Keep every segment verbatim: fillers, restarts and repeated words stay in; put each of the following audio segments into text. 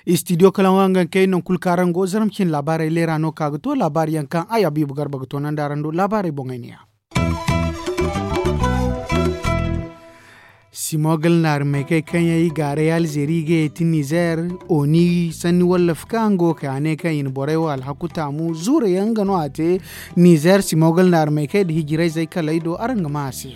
Istidiyo kalaŋ waŋ ga kay nangu kulu kaŋ araŋ go zarma cine laabaarey leera no ka ga to laabaari yaŋ kaŋ ay abiibu garba ga toonandi araŋ do laabaarey boŋey ne ya. Simogol naari maykey kaŋ yaŋ i gaaray alzeeri ga yeeti nizeer, oni sanni wallaf kaŋ go ka a ne kaŋ i na borey wo alhaku taamu zuura yaŋ nga no a te. Nizeer simogol naari maykey nda hijirayzey kaley do araŋ ga maa a se.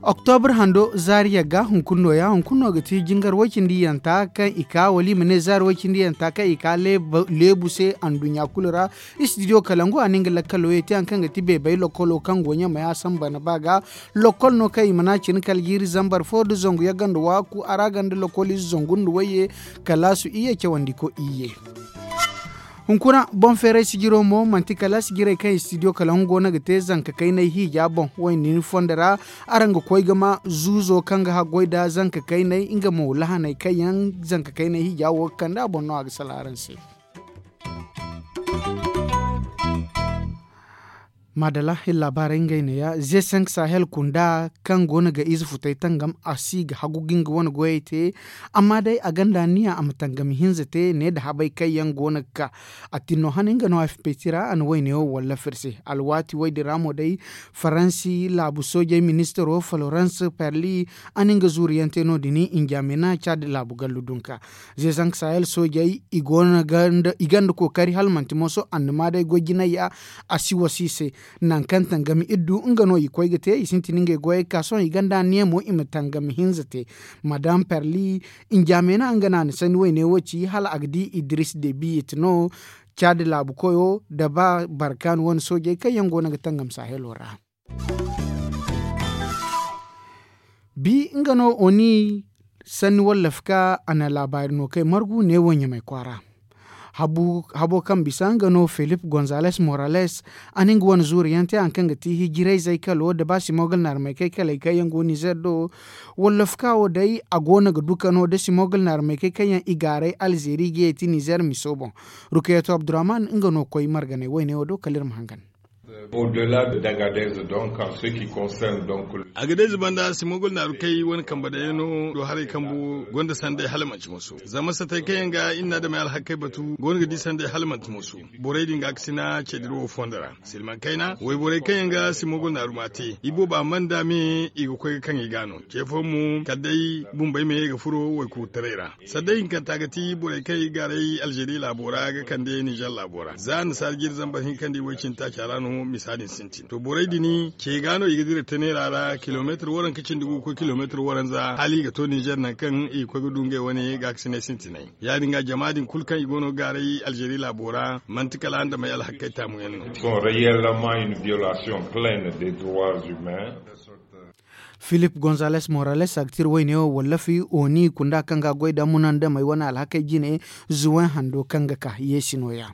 Oktobra hando zaari yagga hunkuna no ya hunkuna no ga ti jingar woy cindi yanta kaŋ i ka wala i ma ne zaari woy cindi yanta kaŋ i ka leebu se anduɲɲa kulu ra. Istidiyo kalangu a na nga lakkalo ye te hari kaŋ ga ti beebay lokolo kaŋ go ɲamay a samba ni ba ga. Lokol no kaŋ i mana cine kala jiiri zambar fo nda zangu yagga nda waaku a ra ganda lokol ize zangu nda wayye. Kalaasu iyye cawandiko iyye. Hunkuna boŋ feeray sijiro mo manti kala sijirey kaŋ istidiyo kala nga go no ga te zanka kaynay hiija boŋ wayne ni fondo ra. Araŋ ga koy ga ma zuuzo kaŋ ga haggoy nda zanka kaynay nga mo lahaney kaŋ yaŋ zanka kaynay hiija wo ga kande a boŋ no a ga salaŋ araŋ se. Maadala iri laabaarey ngey neeya ze cinq sahel kunda kaŋ go no ga ize futey tangam a si ga hagu ga nga wane goyey te. Amma day a gonda niya a ma tangami hinza te ne nda habey kaŋ yaŋ go no ga ka. A tinno hane nga no a fipeti ra a na wayne wo wallafir se alwaati woy din ra mo day. Faransi laabu soojey ministiro florence perli a na nga zuuriyaŋ te no- din injamena caadi laabu gallu dunka. Ze zanka sahel soojey i gonda kookari hala manti moso annama day goy jinay ya. A si wasi i se nangu kaŋ tangami iri du nga no i koy ga te i sintin ngey goyey ga ka sohõ i gonda aniya mo i ma tangami hinza te. Madam perli injamena nga no a na sanni wayne wo ci hala a ga di idris de biyit no. Caadi laabu koyo nda ba barkaani wane soojey kaŋ yaŋ go no ga tangam sahelo ra. Bi nga no oni sanni wallaf ka a na laabaari no kay margu ne wo ɲamay kwaara. Habo kaŋ bisa nga no filip gonzales morales a na nga wane zuuriyaŋ te hari kaŋ ga ti hijirayzey kalo nda ba simogol naarmey kay kaley kaŋ yaŋ go nizer do. Wallaf ka wo day a go no ga duka no nda simogol naarmey kay kaŋ yaŋ i gaaray alzeeri ga ye ti nizer miso boŋ. Rukayato abdurrahman nga no koy marganey wayne wo do kala iri ma hangan. A ga day zibanda simogol naaru kay wane kambe dayaŋ no do haray kambu gonda sanday hala manti moso zama satay kaŋ yaŋ ga iri na adamey alhakey batu go no ga di sanday hala manti moso. Borey din ga ga sina cediro wo fondo ra silman kayna wayborey kaŋ yaŋ ga simogol naaru ma te i booba mana da me i ga koy ga kaŋ i ga no ce fooyaŋ mo kala day bumbey me ga furo waykuurtaray ra. Sanday hinkanta ga ti borey kaŋ i gaaray alzeeri laabo ra ga kande nizer laabo ra za annasaara jiiri zambar hinka nda i way cindi taaca ra no misa din sintin to borey din ce ga no i ga dira teneera ra kilomeetir waranka cindi gu ga koy kilomeetir waranza hala i ga to nizer nangu kaŋ i ga koy ga du ngey wane gaakasinay sintinay. Ya- din ga jama din kulu kaŋ i go no ga gaaray alzeeri laabo ra manti kala andamey alhakey taamu yaŋ no. Filip gonzales morales a ga tira wayne wo wallafi oni kunda kaŋ ga a goy da munandamey wane alhakey jine zuwen hando kaŋ ga ka yeesi nooya.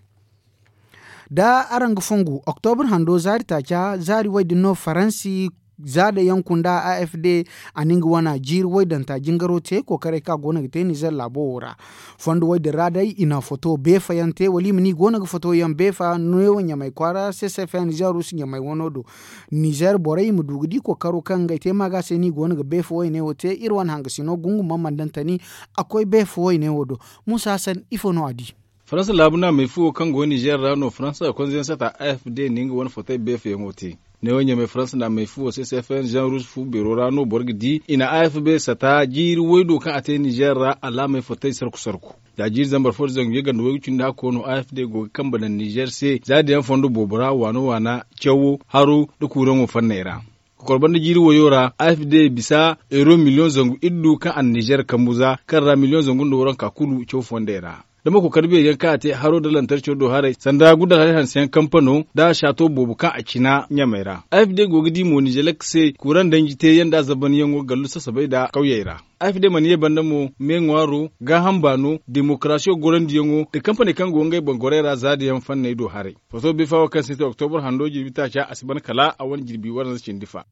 Da araŋ ga fongu oktobra hando zaari taaca zaari way din no faransi zaada yaŋ kunda a f d a na nga wana jiiri waydanta jingaro te kookaray kaŋ a go no ga te nizer laabo wo ra. Fondo way din ra day i na foto beefa yaŋ te wala i ma ne i go no ga foto yaŋ beefa neewo ɲamay kwaara c c f n nizer ruusu ɲamay wano do. Nizer borey i ma du ga di kookaro kaŋ ngey te ma ga se no i go no ga beefa wayne wo te iri wane hangasino gungu ma mandantani. A koy beefa wayne wo do. Muusa hasan ifo no a di? Faransa laabu naamey fu wo kaŋ go nizer ra no faransa konzeyaŋ sata a f d na nga wane fotey beefayaŋo te. Neewo ɲamey faransa naamey fu wo c c f n jean rouge fu beero ra no boro ga di i na a f b sata jiiri waydo kaŋ a te nizer ra alaamey fotey sarku sarku. Za jiiri zambar fo nda zangu yaganda waygu cindi hakko no a f d go ga kambe daŋ nizer se za diyaŋ fondo boobo ra waana waana cawo haro nda kuuraŋo fanney ra. Kokor banda jiiri wayo ra a f d bisa euro miliyoŋ zangu iddu kaŋ a na nizer kambu za kaŋ ra miliyoŋ zangu nda waranka kulu caw fondey ra. Da ma kokor beeri yaŋ kaŋ a te haro nda lantarco do haray sanda gudda haray hanse yaŋ kampano nda saato boobo kaŋ a cina ɲamey ra a f d go ga di mo nizelek se kuuraŋ danji teeyaŋ nda a zabanyaŋo gallu sasabay nda kawyey ra. A f d mana ye banda mo me ŋwaaro gaaham baano demokarasiyo gorandiyaŋo nda kampaney kaŋ go ngey boŋ gorey ra zaada yaŋ fanney do haray. Foto bifa wo kaŋ sintin oktobra hando jirbi taaca a si ban kala a wane jirbi waranza cindi fa.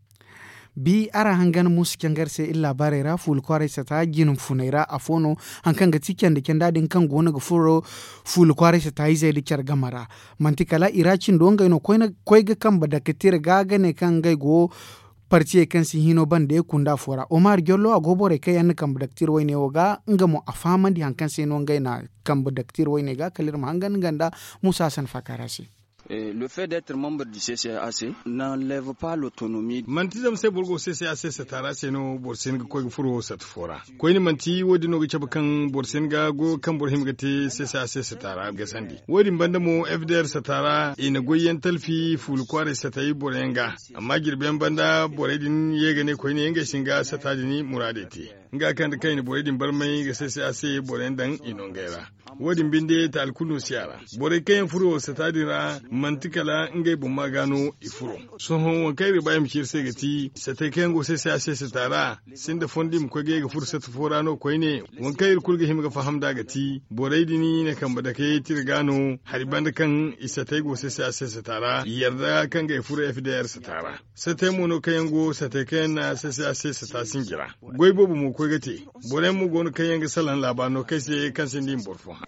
Bi araŋ hangan muusu cangar se iri laabaarey ra fuula kwaaray sata jina funay ra afo no. Hari kaŋ ga ti candi canda din kaŋ go no ga furo fuula kwaaray sata izey nda care game ra. Manti kala i ra cindo ngey no koy ga kambe daktir ga ga ne kaŋ ngey go partiyey kaŋ si hino bande kunda fo ra omar jollo a go borey kaŋ yaŋ na kambe daktir wayne wo ga nga mo a fahamandi hari kaŋ se no ngey na kambe daktir wayne ga kala iri ma hangan nga nda muusa hasan faakaara se. Manti zama se boro go se se a se sata ra se no boro si hin ga koy ga furo sata fo ra. Koyne manti wo- din no ga cabe kaŋ boro si hin ga goyo kaŋ boro hima ga te se se a se sata ra ga sandi. Wo- din banda mo f d r sata ra i na goy yaŋ talfi fuula kwaaray satay boro yaŋ ga. Amma jirbi yaŋ banda borey din ye ga ne koyne ngey si hin ga sata din muraadey te. Nga kaŋ da kaŋ i na borey din barmay ga se se a se boro yaŋ daŋ i no ngey ra. Wo- din binde taali kulu no si a ra. Borey kaŋ yaŋ furo sata din ra manti kala ngey boŋ ma ga no i furo. Sohõ waŋ kaŋ iri ga ba iri ma ci iri se ga ti satay kaŋ yaŋ go se se a se sata ra sinda fondo i ma koy ga ye ga furo sata fo ra no koyne. Waŋ kaŋ iri kulu ga hima ga faham nd'a ga ti borey din na kambe dake tira ga no hari banda kaŋ i satay go se se a se sata ra yarda kaŋ ga ye furo f d r sata ra. Satey mo no kaŋ yaŋ go satey kaŋ yaŋ na sese a se sata sinji ra. Goy boobo mo koy ga te. Boro yaŋ mo go no kaŋ yaŋ ga salaŋ laaba no kaŋ se kaŋ sinda i ma boro fo hã.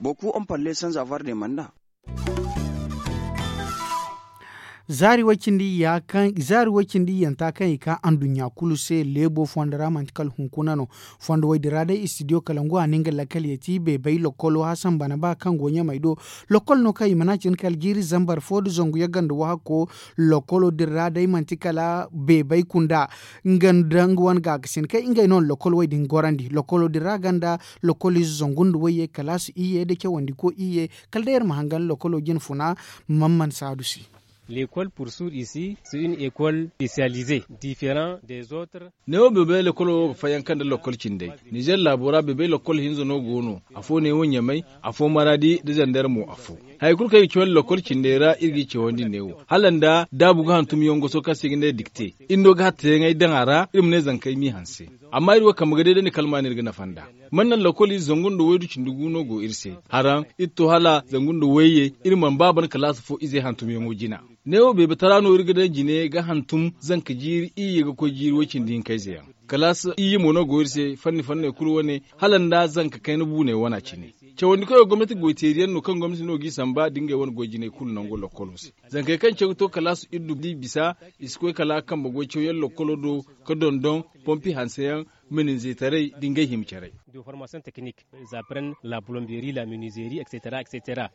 Zaari way cindi iyanta kaŋ i ka anduɲɲa kulu se leebo fondo ra manti kala hunkuna no. Fondo way din ra day istidiyo kalangu a na nga lakkal yeti beebay lokkolo hasan bana ba kaŋ go ɲamay do. Lokkol no kaŋ i mana cin kala jiiri zambar fo nda zangu yagga nda wahakko. Lokkolo din ra day manti kala beebay kunda nga nda nga wane gaakasin kay ngey no na lokkol way din gorandi lokkolo din ra ganda. Lokkol ize zangu nda wayye kalaasi iyye nda cawandi ko iyye. Kala day iri ma hangan lokkolo jine funa. Mamman saadu se. Lekol pursuur isi su une ekol spesiyalize diferan dez otre. Neewo beebey lokkolo wo ga fayanka nda lokkol cindey. Nizer laabo ra beebey lokkol hinza no go no. Afo neewo ɲamay, afo maraadi nda zandar mo afo. Hari kulu kaŋ i ga cawandi lokkol cindey ra iri g'i cawandi neewo hala nda daabu ga hantum yaŋ goso kaŋ se i ga ne dikte. Iri no ga hatteyaŋey daŋ a ra iri ma ne zankey m'i hanse. Amma iri wo kambe ga deedandi kala ma no iri ga nafa nd'a. Man naŋ lokkol ize zangu nda waydu cindi gu no go iri se. Haraŋ iri to hala zangu nda wayye iri mana ba ban kalaasi fo ize hantumyaŋo jina. Neewo beebe tara no iri ga daŋ jine ga hantum zanka jiiri iyye ga koy jiiri way cindi hinka ize yaŋ. Kalaasi iyye mo no go iri se fanni fanney kulu wane hala nda zanka kayna buuney wana cine. Cawandi koyo gomnati goyteeri yaŋ no kaŋ gomnati no g'i samba da ngey wane goy jinay kulu nango lokkolo se. Zankey kaŋ caw ga to kalaasi iddu d'i bisa i si koy kala kambe goy cawyaŋ lokkolo do ga dondon pompi hanseyaŋ, meninzetaray da ngey hima caray. De formasiyoŋ tekinik, za pren la pulombeeri la meninzeeri etcetera etcetera.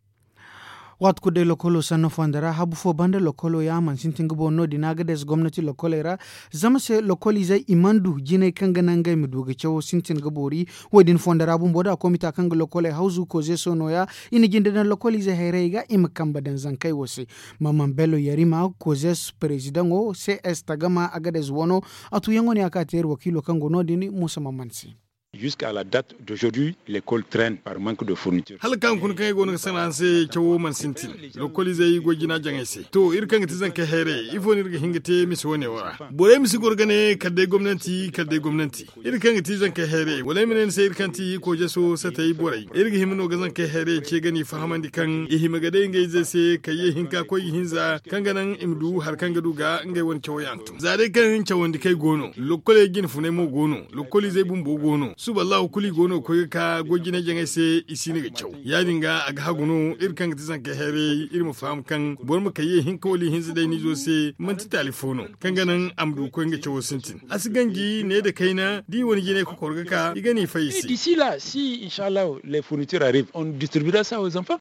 Waati kulu day lokkolo sanno fondo ra habu fo banda lokkolo ya mana sintin ga boori no- din a ga deesa gomnati lokkoley ra. Zama se lokkol izey i mana du jinay kaŋ ga naŋ ngey ma du ga cawo sintin ga boori. Wo- din fondo ra bumbo da komita kaŋ ga lokkoley hawzu kozeso no- ya. I na jinde daŋ lokkol izey hayrayey ga i ma kambe daŋ zankey wo se. Mamman bello yarima kozes perezidaŋo cs tagama agades wano. A tuyaŋo no ya ka te iri wakiilo kaŋ go no- din muusa mamman se. Jusque à la date d'aujourd'hui l'école traine par manque de fourniture. Hala kaŋ kuna kaŋ ay go no ga sanaŋ se cawo mana sintin. Lokol izey go jina jaŋay se to iri kaŋ ga ti zankey hayrayey ifo no iri ga hin ga te mise wane wo ra? Borey ma si goro ga ne kala day gomnanti kala day gomnanti. Iri kaŋ ga ti zankey hayrayey wala ay ma ne ni se iri kaŋ ti kojeso satey borey iri ga hima no ga zankey hayrayey ce ga n'i fahamandi kaŋ i hima ga day ngey izey se kayye hinka koy ga hinza kaŋ ga naŋ i ma du hari kaŋ ga du ga ngey wane cawo yaŋ. Za day kaŋ cawandi kay go no lokkoley jine funay mo go no. Lokkolizey bumbo go no suba allahu kulu i go no ga koy ga ka goy jine jaŋay se i si no ga caw. Ya- din ga a ga hagu no iri kaŋ ga ti zankey hayrayey iri ma faham kaŋ boro ma kayye hinka wala ihinza day niizo se manti taali fo no kaŋ ga naŋ a ma du ga koy nga cawo sintin. A si ganji ne nda kayna da i wane jinay kokoro ga ka i ga n'i fay i se. D'ici là si inshallahu les fournitures arrivent on distribuera ça aux enfants.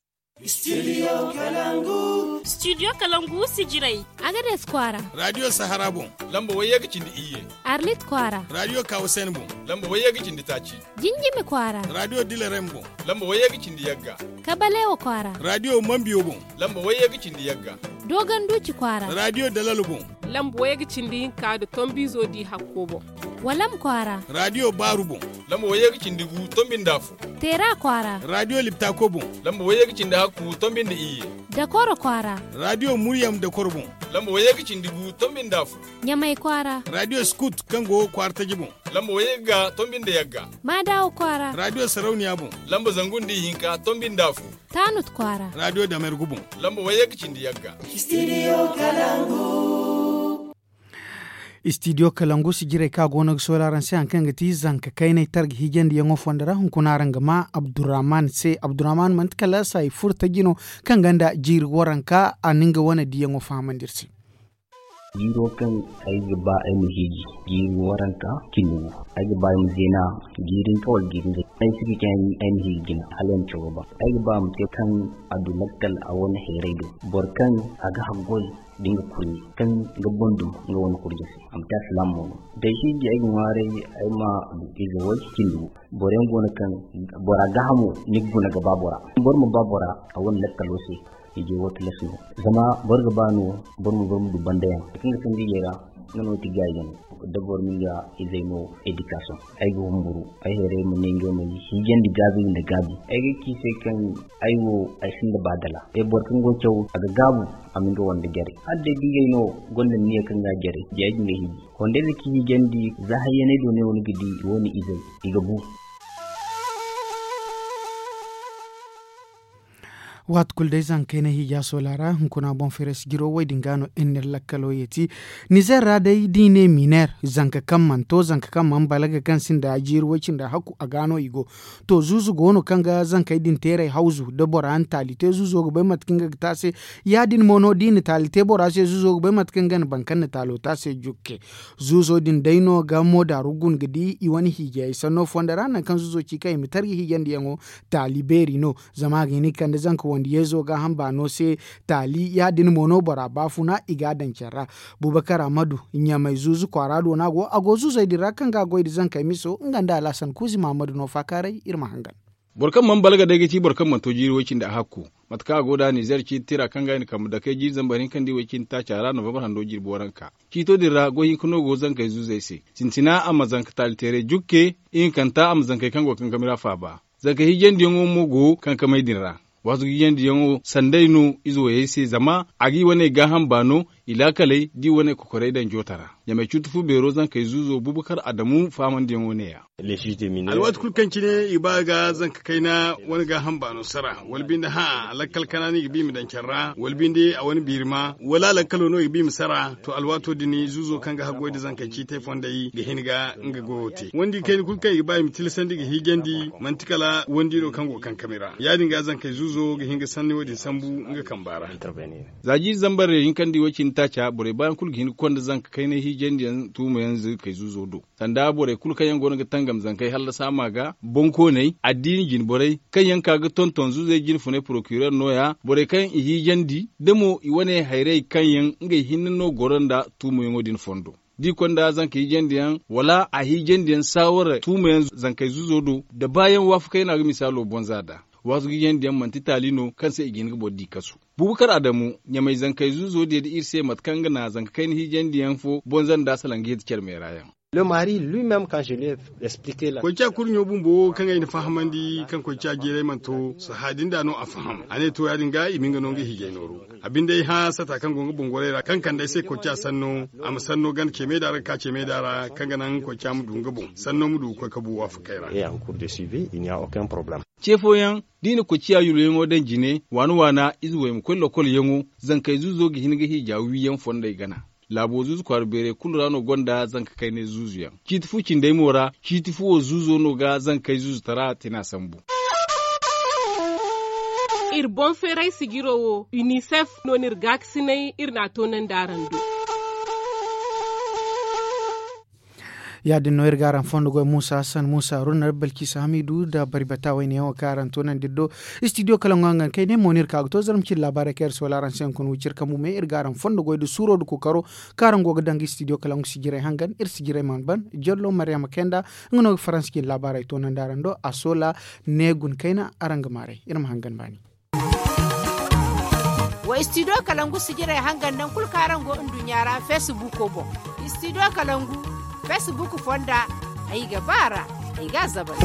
Studio kalangu sijirey. Agades kwaara. Radio sahara boŋ. Lamba wayye ga cindi iyye. Arlit kwaara. Radio kawasen boŋ. Lamba wayye ga cindi taaci. Jinjimi kwaara. Radio dilerem boŋ. Lamba wayye ga cindi yagga. Kabalewo kwaara. Radio mambiyo boŋ. Lamba wayye ga cindi yagga. Doganduci kwaara. Radio dalalo boŋ. Lamba wayye ga cindi hinka nda tombizo di hakko boŋ. Walam kwaara. Radio baaru boŋ. Lamba wayye ga cindi gu tombi nda afo. Teera kwaara. Radio liptako boŋ. Lamba wayye ga cindi hakku tombi nda iyye. Dakoro kwaara. Radio muryam dakoro boŋ. Lamba wayye ga cindi gu tombi nda afo. Ɲamay kwaara. Radio skut kaŋ go kwaara taji boŋ. Lamba wayye ga tombi nda yagga. Maadawo kwaara. Radio sarauniya boŋ. Lamba zangu nda ihinka tombi nda afo. Tanut kwaara. Radio damergu boŋ. Lamba wayye ga cindi yagga. Studio kalangu. Istidiyo kalangu sijirey kaŋ a go no ga soola araŋ se hari kaŋ ga ti zanka kaynay targa hiijandiyaŋo fondo ra hunkuna araŋ ga ma abdurrahman se. Abdurrahman manti kala saayi furo taji no kaŋ gonda jiiri waranka a na nga wane diyaŋo fahamandi iri se. Jiiro kaŋ ay ga ba ay ma hiiji jiiri waranka cindi gu. Ay ga ba ay ma zeena jiiri hinka wala jiiri hinza. Ay si ga caŋ ay ma hiiji jina hala ay ma cawo ba. Ay ga ba a ma te kaŋ a du lakkal a wane heeray do. Boro kaŋ a ga haggoy da nga kurɲe kaŋ ga boŋ dum nga wane kurɲe se a ma te alsilaama mo no. Da ay hiiji ay ga ŋwaaray ay ma du ize way cindi gu. Boro yaŋ go no kaŋ bora gaahamo ni ga guna ga ba bora. Boro ma ba bora a wane lakkalo se. Ije wo tilas no zama boro ga ba no boro ma boro ma du banda yaŋ kaŋ ga sandi ije ra. Nga no ti gaayi yaŋ da boro ma nga izey no. Edikasiyoŋ ay ga humburu ay heeray ma ne ngey ma hiijandi gaabi nda gaabi. Ay ga ci se kaŋ ay wo ay sinda ba dala. Ay boro kaŋ go caw a ga gaabu a ma nga wande jare hala day da ngey no gonda niya kaŋ ga jare. Diya ga nga hiiji. Hondayze kaŋ hiijandi za hayyaney do ne wo ni ga di i wane izey i ga bu. Waati kulu day zankey na hiija soola ra hunkuna boŋ feres jiro wo- din ga no iri na iri lakkalo yeeti. Nizer ra day da i ne miner zanka kaŋ mana to zanka kaŋ mana balaga kaŋ sinda jiiri way cindi hakku a ga no i go. To zuuzu go no kaŋ ga zankey din teeray hawzu da bora na taali te zuuzo ga bay mate kaŋ nga ga te a se. Ya- din mo no da i na taali te bora se zuuzo ga bay mate kaŋ nga na baŋ kaŋ na taalo te a se jukke. Zuuzo din day no ga moodaaru guna ga di i wane hiijayey sanno fondo ra nangu kaŋ zuuzo ci kaŋ i ma tarji hiijandiyaŋo. Taali beeri no zama a ga hin ga kande zanka wandiyayzo gaaham baano se. Taali ya- din mo no bora baafuna i ga a daŋ care ra. Bubakar ammadu ɲamay zuuzu kwaara do no a go a go zuuzey din ra kaŋ ga a goy nda zankey miso nga nda alhasan kuuzi mahammadu no faakaaray iri ma hangan. Boro kaŋ mana balaga day ga ci boro kaŋ mana to jiiri way cindi a hakku. Mate kaŋ a go nd'a nizer ciiti tira kaŋ ga i na kambe dakey jiiri zambar hinka nda i way cindi taaca ra novambar hando jirbi waranka. Ciito din ra goy hinka no go zankey zuuzey se. Sintina a ma zanka taali teeray jukke. Ihinkanta a ma zankey kaŋ go kankami ra faaba. Zanka hiijandiyaŋo mo go kankamey din ra. Waazu ga hiijandiyaŋo sanday no ize wayey se zama a ga i wane gaaham baano. I laakaley da i wane kokorey daŋ joota ra. Ɲamay cuuti fu beero zankey zuuzo bubakar adamu faamandiyaŋo ne- ya. Alwaati kulu kaŋ cine i ba ga zanka kayna wane gaaham baano sara wala binde hã a lakkal kana no i ga ba i ma daŋ care ra wala binde a wane biiri ma wala a lakkalo no i ga ba i ma sara. To alwaato din zuuzo kaŋ ga haggoy nda zankey ciitey fondey ga hin ga nga goyo te wandi kayna kulu kaŋ i ga ba i ma tilasandi ga hiijandi manti kala wandi no kaŋ go kankami ra ya- din ga zankey zuuzo ga hin ga sanni wo- din sambu nga kamba ra. Za jiiri zambar hinka nda i way cindi taaca borey baayaŋ kulu ga hin ga konda zanka kaynay hiijandiyaŋ tuumayaŋ zankey zuuzo do. Sanda borey kulu kaŋ yaŋ go no ga tangam zankey hallasa ma ga boŋkooney addiini jinborey kaŋ yaŋ ka ga tonton zuuzey jinfunay porokirer no- ya borey kaŋ i hiijandi da mo i wane hayrey kaŋ yaŋ ngey hinne no goro nda tuumayaŋo din fondo. Da i konda zanka hiijandiyaŋ wala a hiijandiyaŋ saawara tuumayaŋ zankey zuuzo do da baayaŋ waafakay no a ga misaalo bonza nd'a. Waazu ga hiijandiyaŋ manti taali no kaŋ se i ga hin ga boro di kasu. Bubakar adamu ɲamay zankey zuuzo diya da iri se mate kaŋ ga na zanka kayna hiijandiyaŋ fo bonza nda salaŋ ga hita care meera yaŋ. Koyca kurɲo bumbo kaŋ ay na fahamandi kaŋ koyca jiiray mana to sahã din da no a faham a ne to ya- din ga i ma nga no nga hiijay nooru. A binde ay hã sata kaŋ go nga bongorey ra kaŋ kande ay se koyca sanno a ma sanno ganda ceemey da ra ga ka ceemey da ra kaŋ ga naŋ koyca ma du nga boŋ sanno ma du ga koy ka bu waafakey ra. Ce fooyaŋ da i na koyciya yulwayaŋo daŋ jine waana waana ize wey ma koy lokolyaŋo. Zankey zuuzo ga hin ga hiija wiiyaŋ fondey gana. Laabo zuuzu kwaara beerey kulu ra no gonda zanka kaynay zuuzuyaŋ. Ciiti fu cindey mo ra ciiti fu wo zuuzo no ga zankey zuuzutara tina sambu. Iri boŋ feeray sijiro wo unicef no no iri gaakasinay iri n'a toonandi araŋ do. Ya- din no iri ga araŋ fondo goy muusa hassan muusa runnar balkisa hamidu nda bari bata wayne yaŋ wo kaŋ araŋ toonandi iri do. Istidiyo kala ŋwa nga kay ne mo no iri ka ga to zarma cindi laabaarey kaŋ iri soola araŋ se hunkuna wiciri kambu me iri ga araŋ fondo goy nda suuro nda kookaro kaŋ araŋ go ga daŋ ga istidiyo kala ŋwa sijirey hangan iri sijirey mana ban. Jallo maryama kenda nga no ga faransa cindi laabaarey toonandi araŋ do a soola ne guna kayna araŋ ga maaray iri ma hangan baani. Wa istidiyo kalangu sijirey hangan naŋ kulu kaŋ araŋ go nduɲɲa ra feesibuko boŋ. Istidiyo kalangu feesibuk fonda ay ga ba a ra ay ga a zabari.